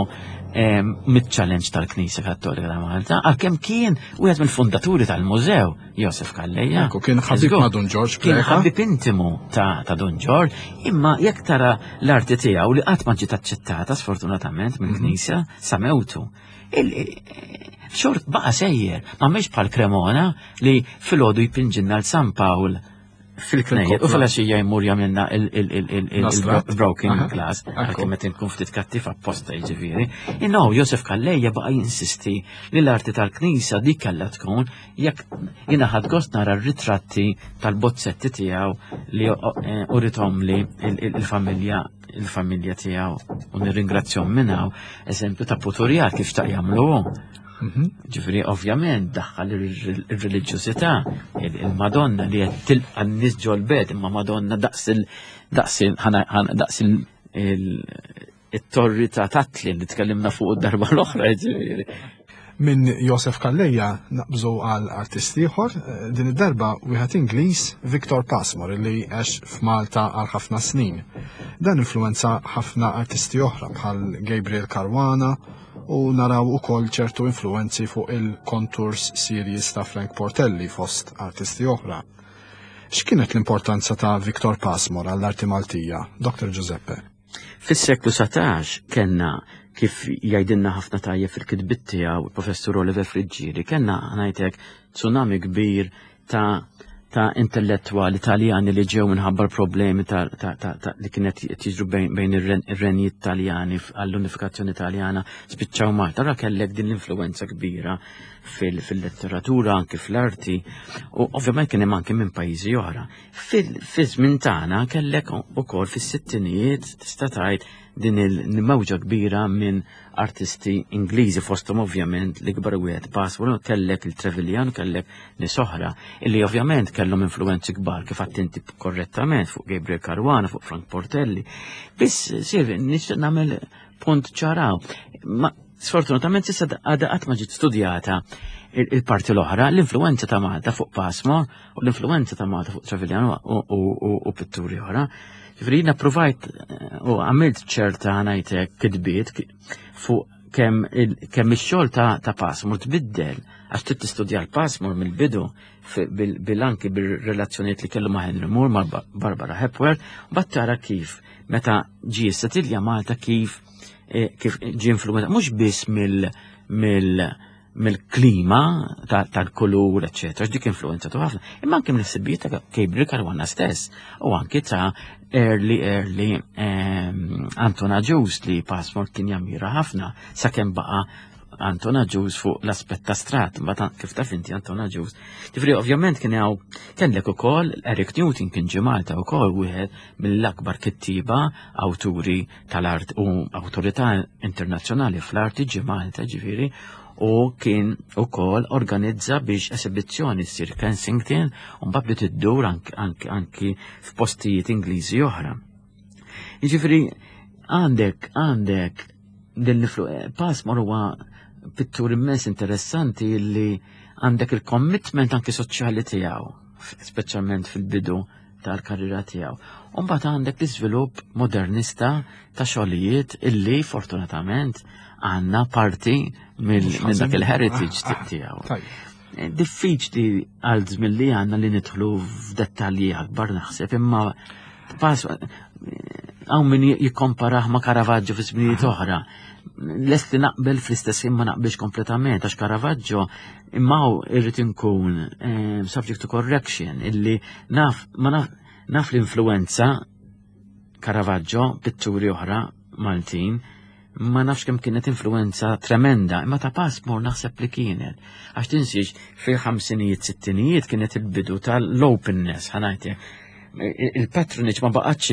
eh, mit-challenge tal-Knisja Kattolika ta' Malta, għalkemm kien wieħed mill-fundaturi tal-mużew, Josef Calleja. Ekku, kien ħabib Żgur. ma' Dun Ġorġ Kien Preca. ħabib intimu ta' ta' Dun Ġorġ, imma jekk tara l-arti tiegħu li qatt ma ġiet aċċettata sfortunatament mill-Knisja sa mewtu. Il- Xort baqa sejjer, ma mhix bħal Cremona li filgħodu jpinġinna l-San Pawl fil-knejjer u fil-għaxija jmur jagħmilna L-astrat. il-broken Aha. glass, Ekku. għalkemm qed inkun ftit kattiv apposta jiġifieri. No, Josef Calleja baqa jinsisti li l-arti tal-Knisja dik kellha tkun jekk jiena ħadt gost nara r-ritratti tal-bozzetti tiegħu li eh, urithom li il-familja il-familja tiegħu u nirringrazzjahom minn hawn, eżempju ta' puturjat kif xtaq jagħmlu hu. Mhm. Ġifieri, ovvjament, daħħal il-reliġjożità, il-Madonna li qed tilqa' n-nies ġol-bed, imma Madonna daqs il daqs il ħana- ħana- daqs il il- it-torri ta' Tatli li tkellimna fuq id-darba l-oħra, ġifieri. Minn Josef Calleja naqbżu għal artist ieħor, eh, din id-darba wieħed Ingliż Victor Pasmore li għex f'Malta għal ħafna snin. Dan influenza ħafna artisti oħra bħal Gabriel Caruana u naraw ukoll ċertu influenzi fuq il-Contours series ta' Frank Portelli fost artisti oħra. X'kienet l-importanza ta' Victor Pasmore għall-arti Maltija, Doktor Giuseppe? Fis-seklu satax kellna, kif jgħidilna ħafna tajjeb fil-kitbiet tiegħu il-Professur Oliver Friggieri, kellna ngħidlek tsunami kbir ta' ta' intellettuali Taljani li ġew minħabba problemi ta', ta, ta, ta, li kienet jiġru bejn, bejn ir-renji Taljani għall-unifikazzjoni Taljana, spiċċaw Malta. Ra kellek din l-influenza kbira fil-letteratura, anki fl-arti, u ovvjament kien hemm anki minn pajjiżi oħra. Fil-żmien tagħna kellek ukoll fis-sittinijiet tista' tgħid din il-mewġa kbira minn artisti Ingliżi, fosthom ovvjament l-ikbar wieħed Pasmore, kellek il-Trevelyan, kellek nies oħra, illi ovvjament kellhom influenzi kbar kif inti korrettament fuq Gabriel Caruana, fuq Frank Portelli. Biss Silvi, nixtieq nagħmel punt ċaraw. Ma sfortunatament s'issa għadha qatt ma ġiet studjata il-parti l-oħra, l-influenza ta' Malta fuq Pasmore u l-influenza ta' Malta fuq Trevelyan u pitturi oħra. Ġifieri jiena provajt u għamilt ċerta ngħidlek kitbiet fuq kemm kemm ix-xogħol ta' Pasmore tbiddel, għax trid tistudja l-Pasmore mill-bidu bil-anki bil-relazzjonijiet li kellu ma' Henry Moore, ma' Barbara Hepworth, u mbagħad tara kif meta ġie settilja Malta kif kif ġie influenza mhux biss mill mill mill-klima tal-kulur, eċċetera, dik influenza tu ħafna, imma anke mill-ħsibijiet ta' Gabriel Caruana stess u anke ta' early, early Anton Agius li Pasmore kien jammira ħafna sakemm baqa' Anton Agius fuq l-aspett astrat, mbagħad kif taf inti Anton Agius. Ġifieri ovvjament kien hawn kellek ukoll Eric Newton kien ġie Malta wkoll, wieħed mill-akbar kittiba, awturi tal-art u awtorità internazzjonali fl-arti ġie Malta, ġifieri, u kien ukoll organizza biex esibizzjoni ssir Kensington u mbagħad bdiet iddur anki, anki f'postijiet Ingliżi oħra. Jiġifieri għandek għandek din l-influ-, Pasmore huwa pittur immens interessanti li għandek il-commitment anki soċjali tiegħu, speċjalment fil-bidu tal-karriera tiegħu. U mbagħad għandek l-iżvilupp modernista ta' xogħlijiet illi fortunatament għandna parti minn dak il-heritage ah, ah, tiegħu. Diffiċli għal żmien li għandna li nidħlu f'dettalji akbar naħseb, imma pass hawn min jikkomparah ma' Caravaggio fi żminijiet oħra. Lest li naqbel fl-istess imma naqbilx kompletament, għax Caravaggio imma irrid inkun eh, subject to correction, illi naf, ma naf, naf l-influenza Caravaggio, pitturi oħra Maltin, ma nafx kemm kienet influenza tremenda, imma ta' Pasmore naħseb li kienet. Għax tinsiex fil-ħamsinijiet, sittinijiet kienet il-bidu tal-openness, ħa ngħidlek. Il-patronage ma baqgħatx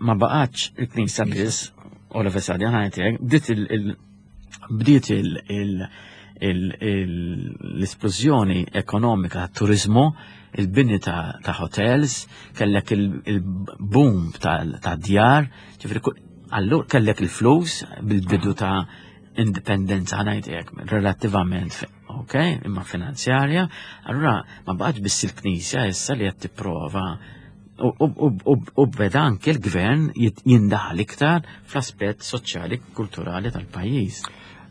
ma baqgħatx il-Knisja biss, all of a sudden, ħa ngħidlek, bdiet il- bdiet l-esplużjoni ekonomika tat-turizmu, il-bini ta', ta hotels, kellek il-boom ta', ta djar, ġifieri allura kellek il-flus bil-bidu ta' indipendenza, ħa ngħidlek, relattivament, ok, imma finanzjarja, allura ma baqgħetx biss il-Knisja issa li qed tipprova u beda anke l-gvern jindaħal iktar fl-aspett soċjali kulturali tal-pajjiż.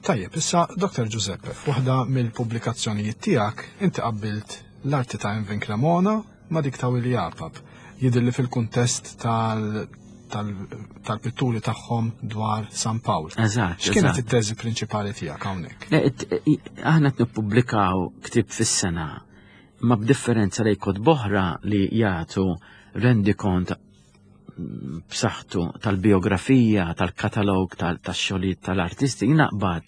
Tajjeb, issa Doktor Giuseppe, f'waħda mill-pubblikazzjonijiet tiegħek inti qabbilt l-arti ta' Emvin Cremona ma' dik ta' Willi Apap. Jidhirli fil-kuntest tal-pitturi tagħhom dwar San Pawl. Eżatt, X'kienet eżatt. it-teżi prinċipali tiegħek hawnhekk? Le, it-, i-, aħna qed nippubblikaw ktieb fis-sena, ma b'differenza li kotba oħra li jagħtu rendikont b'saħħtu tal-biografija, tal-katalog, tax-xogħlijiet tal-artisti, naqbad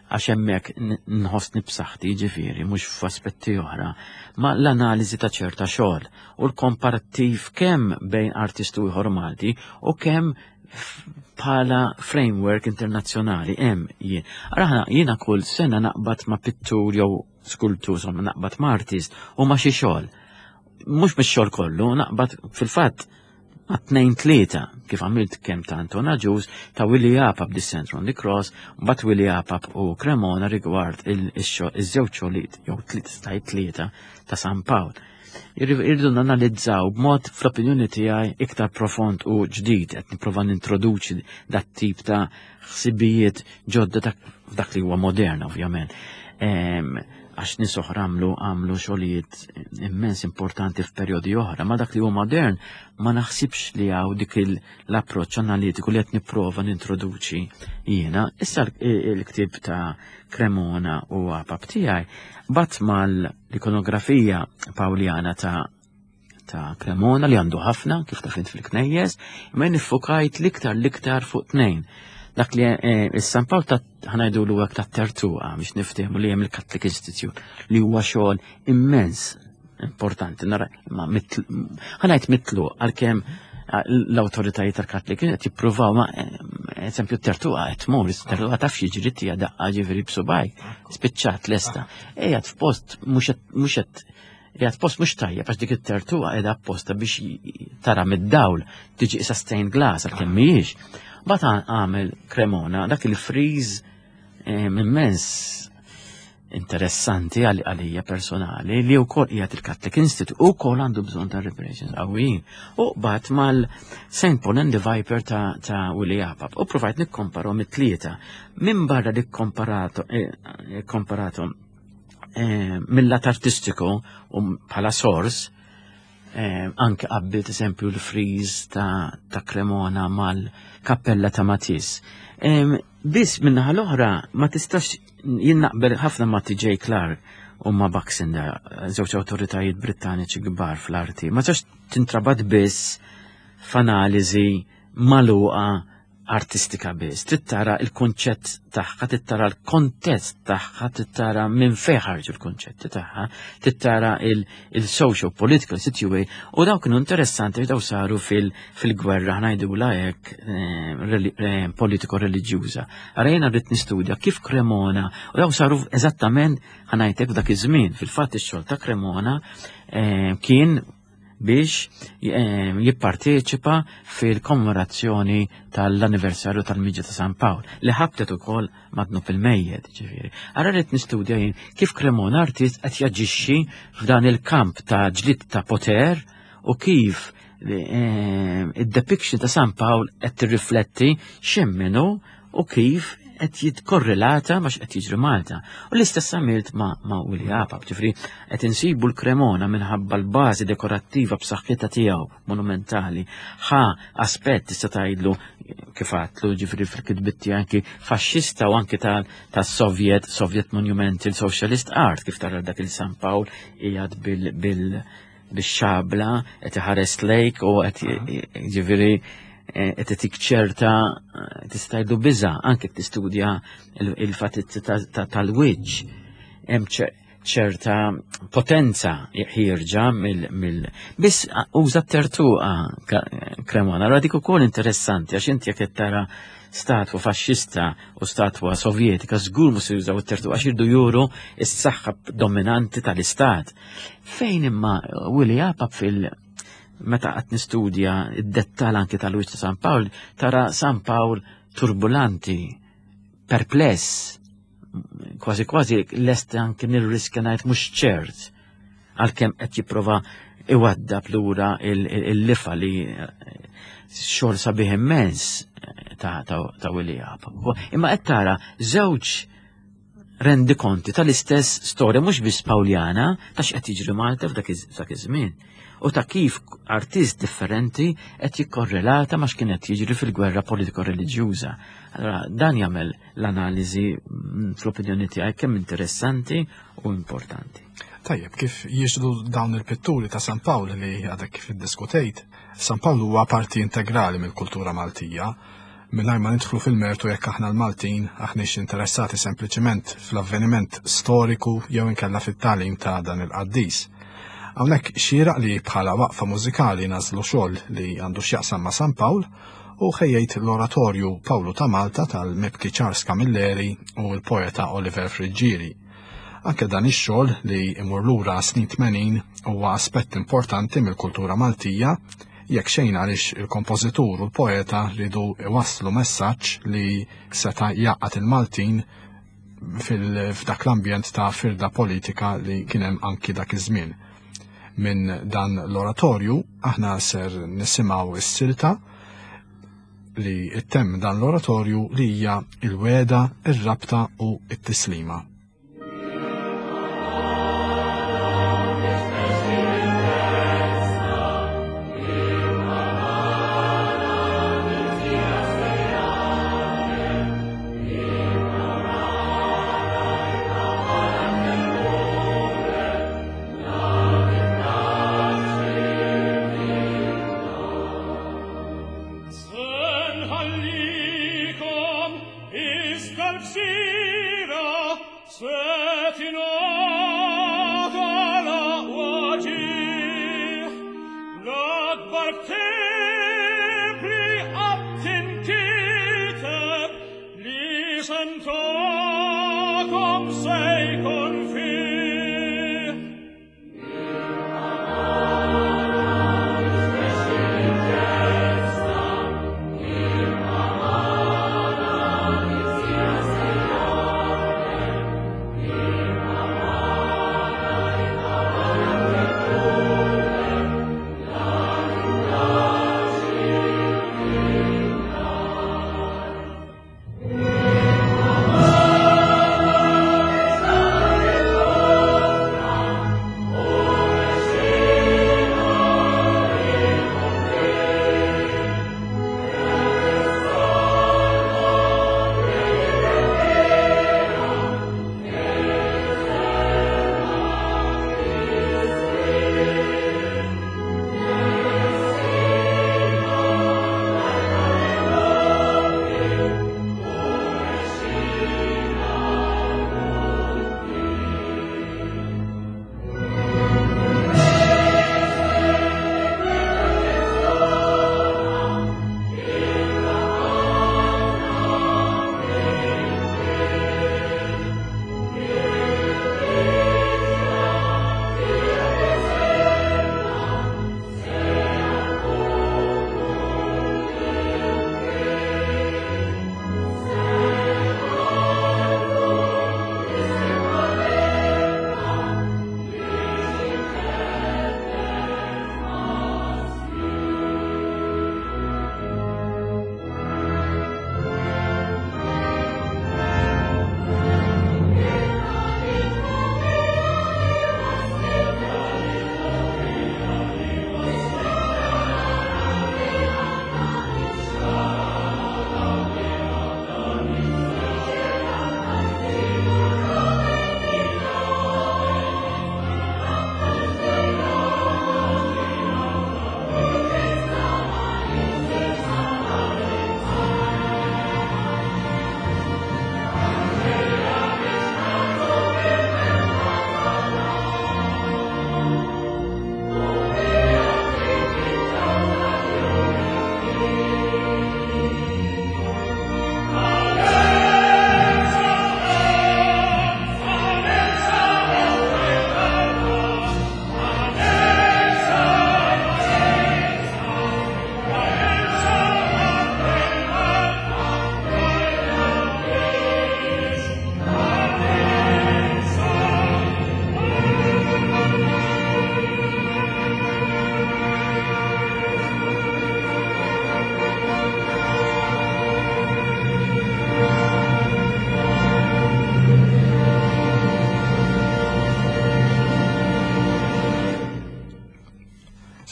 għax hemmhekk nħossni b'saħħti, ġifieri, mhux f'aspetti oħra, ma l-analiżi ta' ċerta xogħol u l-komparattiv kemm bejn artistu ieħor Malti u kemm bħala framework internazzjonali hemm jien. Ara jiena kull sena naqbad ma' pittur jew skultur, insomma naqbad ma' artist u ma' xi xogħol. Mhux mix-xogħol kollu, naqbad fil-fatt ma' tnejn tlieta, kif għamilt kemm ta' Anton Agius, ta' Willi Apap Descent on the Cross, mbagħad Willi Apap u Cremona rigward il-żewġ xogħlijiet jew stajt tlieta ta' San Pawl. Irridu nanalizzaw b'mod fl-opinjoni tiegħi iktar profond u ġdid, qed nipprova nintroduċi dat tip ta' ħsibijiet ġodda ta' f'dak li huwa modern ovvjament. Għax nies oħra għamlu għamlu xogħlijiet immens importanti f'perjodi oħra, ma dak li huwa modern ma naħsibx li hawn dik l-approċċ analitiku li qed nipprova nintroduċi jiena. Issa l-ktieb ta' Cremona u Apap tiegħi bat mal-ikonografija Pawljana ta' ta' Cremona li għandu ħafna kif taf int fil-knejjes, imma niffokajt l-iktar l-iktar fuq tnejn. Dak li is-San Pawl ta' ħa ngħidulu hekk ta' Tertuqa biex niftehmu li hemm il-Catholic Institute li huwa xogħol immens importanti nara imma ħa ngħid mitlu għalkemm l-awtoritajiet tal-Catholic qed jippruvaw ma eżempju Tertuqa qed tmur, Tertuqa taf jiġri tija daqqa ġifieri b'subajk, spiċċat lesta. Qiegħed f'post mhux qed qiegħed post mhux tajjeb għax dik it-tertuqa qiegħda apposta biex tara mid-dawl tiġi isa stained glass għalkemm mhijiex. Bat għamel Cremona dak il-friż immens interessanti għalija personali li wkoll qiegħed il-Catholic Institute u wkoll għandu bżonn ta' reparations qawwijin. U bat mal Saint Paul and the Viper ta', ta Willie Apap u provajt nikkomparahom it-tlieta. Minn barra li komparato, eh, komparato eh, mill-lat artistiku u bħala sors, eh, anke qabbilt eżempju l-friż ta', ta' Cremona mal-kappella ta' Matisse. Eh, Biss minnaħa l-oħra ma tistax jien naqbel ħafna ma' T J Clark u ma' Baxendale, żewġ awtoritajiet Brittaniċi kbar fl-arti. Ma tistax tintrabat biss f'analiżi magħluqa artistika biss. Trid tara il-konċett tagħha, trid tara l-kontest tagħha, trid tara minn fejn ħarġu l-konċetti tagħha, trid tara il-social political situation u daw kienu interessanti, daw saru fil-gwerra, ħa ngħidulha hekk, eh, politiko reliġjuża. Ara jiena rrid nistudja kif Cremona u daw saru eżattament, ħa ngħidlek, f'dak iż-żmien. Fil-fatt ix-xogħol ta' Cremona eh, kien biex eh, jipparteċipa fil-kommemorazzjoni tal-anniversarju tal-Miġja ta' San Pawl li ħabtet ukoll mad-dnub il-mejjet, ġifieri. Ara rrid nistudja jien kif Cremona artist qed jaġixxi f'dan il-kamp ta' ġlied ta' poter u kif eh, id-depiction ta' San Pawl qed tirrifletti x'jemmnu u kif qed jitkorrelata ma x'qed jiġri Malta. U l-istess għamilt ma', ma Willie Apap, ġifieri qed insibu l-Cremona minħabba l-bażi dekorattiva b'saħħitha tiegħu monumentali. Ħa aspett tista' tgħidlu kif għatlu ġifieri fil-kitbit tiegħi anki faxxista u anki tas-Soviet, Soviet Monumental Socialist Art, kif tara dak il-San Pawl qiegħed bil, bil bix-xabla qed iħares lejk u qed ġifieri qed itik ċerta, tista' tgħidlu, biża, anke tistudja il-fatizzi tal-wiċċ hemm ċerta potenza ħierġa mill biss uża tertuqa Cremona. Allora dik ukoll interessanti għax inti jekk qed tara statwa faxxista u statwa sovjetika żgur mhux jużaw it-tertuqa għax irdu juru s-saħħa dominanti tal-istat. Fejn imma Willie Apap fil meta qed nistudja id-dettal anke tal-wiċċ ta' San Pawl, tara San Pawl turbulanti, perpless, kważi kważi lest anke nirriskja ngħid mhux ċert, għalkemm qed jipprova iwaddab lura il-lifa li xogħol sabiħ immens ta', ta, ta' Willie Apap. Imma qed tara żewġ rendikonti tal-istess storja, mhux biss Pawljana, ta' x'qed jiġri Malta f'dak iż-żmien u ta' kif artist differenti qed jikkorrelata ma' x'kien qed jiġri fil-gwerra politiko-reliġjuża. Allora dan jagħmel l-analiżi mm, fl-opinjoni tiegħi kemm interessanti u importanti. Tajjeb, kif jiġru dawn il-pitturi ta' San Pawl li għadek kif iddiskutejt, San Pawl huwa parti integrali mill-kultura Maltija, mingħajr ma nidħlu fil-mertu jekk aħna l-Maltin aħniex interessati sempliċement fl-avveniment storiku jew inkella fit-tagħlim ta' dan il-qaddis. Hawnhekk xieraq li bħala waqfa mużikali nagħżlu xogħol li għandu x'jaqsam ma' San Pawl u ħejjejt l-oratorju Pawlu ta' Malta tal-mibki Charles Camilleri u l-poeta Oliver Friggieri. Anke dan ix-xogħol li imur lura snin tmenin huwa aspett importanti mill-kultura Maltija, jekk xejn għaliex il-kompożitur u l-poeta ridu iwasslu messaġġ li seta' jgħaqqad il-Maltin f'dak l-ambjent ta' firda politika li kien hemm anki dak iż-żmien. Minn dan l-oratorju aħna ser nisimgħu s-silta li ttemm dan l-oratorju li hija il-wegħda, ir-rabta u t-tislima. Senħallikom iżda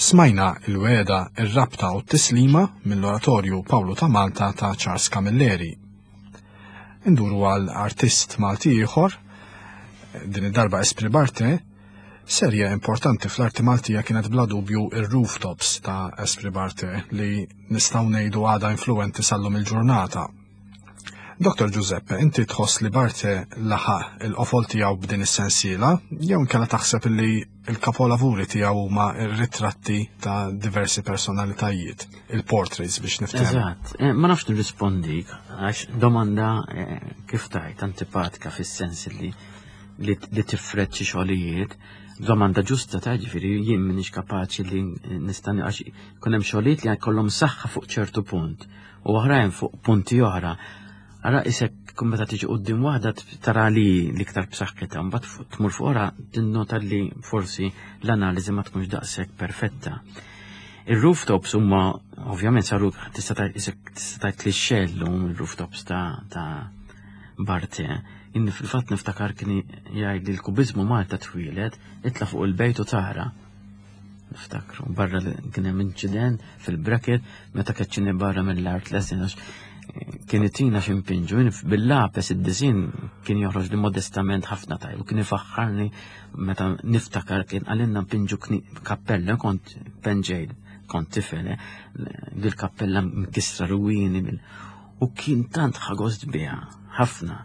Smajna il-wegħda, ir-rabta u t-tislima mill-oratorju Pawlu ta' Malta ta' Charles Camilleri. Induru għal artist Malti ieħor, din id-darba Esprit Barthe, serje importanti fl-arti Maltija kienet bla dubju ir-rooftops ta' Esprit Barthe li nistgħu ngħidu għadha influenti sal-lum il-ġurnata. Doktor Giuseppe, inti tħoss li Barthe laħaq il-qofol tiegħu b'din is-sensiela, jew inkella taħseb li l-kapolavuri tiegħu huma r-ritratti ta' diversi personalitajiet, il-portraits biex niftehmu. Eżatt, eh, ma nafx nirrispondik għax domanda eh, kif tajt antipatika fis-sens li li, li tifred xi xogħlijiet, domanda ġusta ta' ġifieri jien m'iniex kapaċi li nista' għax ikun hemm xogħlijiet li jkollhom saħħa fuq ċertu punt u oħrajn fuq punti oħra. Ara isek kun meta tiġi quddiem waħda tara li l-iktar b'saħħitha, mbagħad tmur fuq oħra tinnota li forsi l-analiżi ma tkunx daqshekk perfetta. Ir-rooftops huma Ovvjament saru tista' tgħid klixè llum il-rooftops ta' ta' Barthe. Inni fil-fatt niftakar kien jgħid li l-kubiżmu Malta twieled, itla' fuq il-bejt u tara. Niftakru, barra kien hemm inċident fil-bracket meta keċċini barra mill-art lesson għax kien itina x'impinġu, bil-lapes id-disinn kien joħroġ li modestament ħafna tajb, u kien ifaħħarni meta niftakar kien qalilna mpinġu kappella, kont penġejt, kont tifel, dil-kappella mkissra ruwini, u kien tant ħa gost biha, ħafna.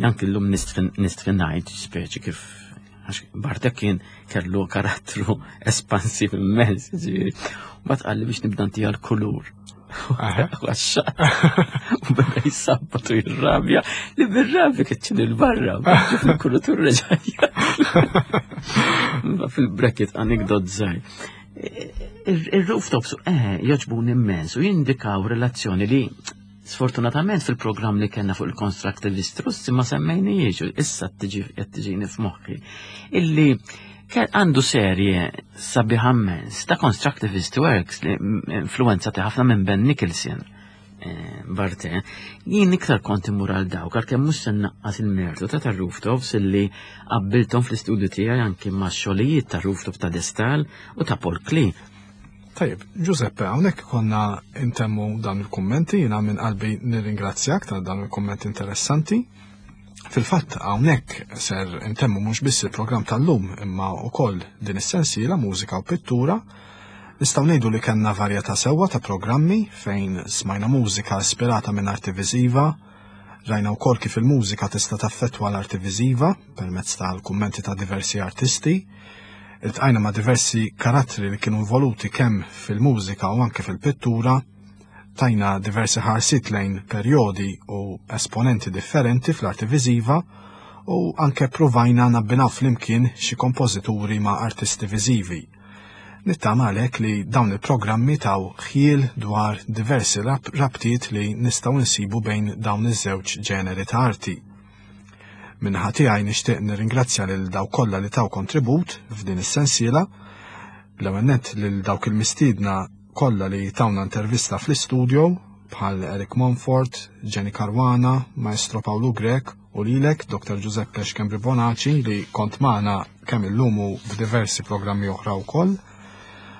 Anki llum nistħi ngħid, speċi kif, għax Barthe kien kellu karattru espansiv immens, ġifieri. U mbagħad qalli biex nibda ntiha l-kulur. U beda jissabbat u jirrabja, li bir-rabja keċċini 'l barra, fil-kulutur reġajja. Fil-bracket anekdot żgħir. Il-rooftops, eh, jogħġbuni immens u jindikaw relazzjoni li sfortunatament fil-programm li kellna fuq il-constructivist Russi ma semmejnijiex, issa tiġi qed tiġini f'moħħi, illi għandu serje sabiħa immens ta' constructivist works li influenzati ħafna minn Ben Nicholson. Eh, Barthe, jien iktar kont immur għal dawk, għalkemm mhux se naqqas il-mertu ta' tar-rooftops illi qabbilthom fl-istudju tiegħi anki ma' xogħlijiet ta' rooftop ta' De Staël u ta' Paul Klee. Tajjeb, Giuseppe, hawnhekk konna intemmu dan il-kummenti, jiena minn qalbi nirringrazzjak ta' dan il-kummenti interessanti. Fil-fatt hawnhekk ser intemmu mhux biss il-programm tal-lum imma wkoll din is-sensiela mużika u pittura. Nistgħu ngħidu li kellna varjetà sewwa ta' programmi fejn smajna mużika ispirata minn arti viżiva, rajna wkoll kif il-mużika tista' taffettwa l-arti viżiva permezz tal-kummenti ta' diversi artisti, iltqajna ma' diversi karattri li kienu involuti kemm fil-mużika u anke fil-pittura, tajna diversi ħarsiet lejn perjodi u esponenti differenti fl-arti viżiva u anke provajna nabbinaw flimkien xi kompożituri ma' artisti viżivi. Nittama għalhekk li dawn il-programmi taw ħjiel dwar diversi rab-, rabtiet li nistgħu nsibu bejn dawn iż-żewġ ġeneri ta' arti. Min-naħa tiegħi nixtieq nirringrazzja lil dawk kollha li taw kontribut f'din is-sensiela, l-ewwel nett lil dawk il-mistiedna kollha li tawna intervista fl-istudio bħal Eric Monfort, Jenny Caruana, Maestro Paolo Grech u lilek Doktor Giuseppe Schembri Bonaci li kont magħna kemm illum u f'diversi programmi oħra wkoll.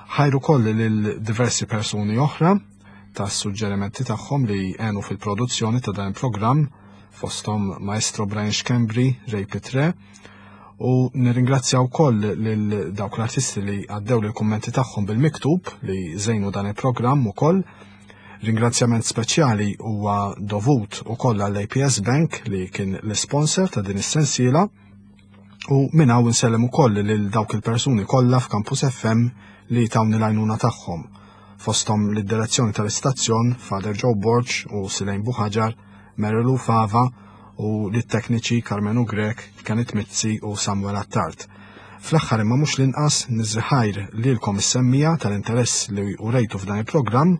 Ħajru koll lil diversi persuni oħra ta' suġġerimenti tagħhom li għenu fil-produzzjoni ta' dan il-programm, fosthom Maestro Brian Schembri, Ray Pitre, u nirringrazzja wkoll lil dawk l-artisti li għaddew l-kummenti tagħhom bil-miktub li żejnu dan il-programm ukoll. Ringrazzjament speċjali huwa dovut ukoll għall-A P S Bank li kien l-sponsor ta' din is-sensiela, u minn hawn insellem ukoll lil dawk il-persuni kollha f'Campus F M li tawni l-għajnuna tagħhom, fosthom lid-direzzjoni tal-istazzjon Father Joe Borg u Silejn Buħaġar, Marilu Fava u lit-tekniċi Carmenu Grech, Kenneth Mizzi u Samuel Attard. Fl-aħħar imma mhux l-inqas niżriħajr lilkom is-semmija tal-interess li urejtu f'dan il-programm,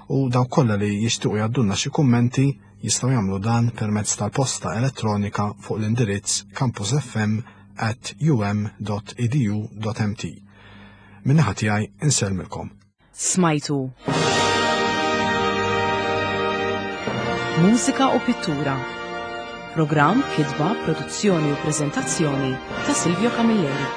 u dawk kollha li jixtiequ jgħaddulna xi kummenti jistgħu jagħmlu dan permezz tal-posta elettronika fuq l-indirizz campus f m at u m dot e d u dot m t. Min-naħa tiegħi insellmilkom. Smajtu Mużika u Pittura. Programm, kitba, produzzjoni u preżentazzjoni ta' Silvio Camilleri.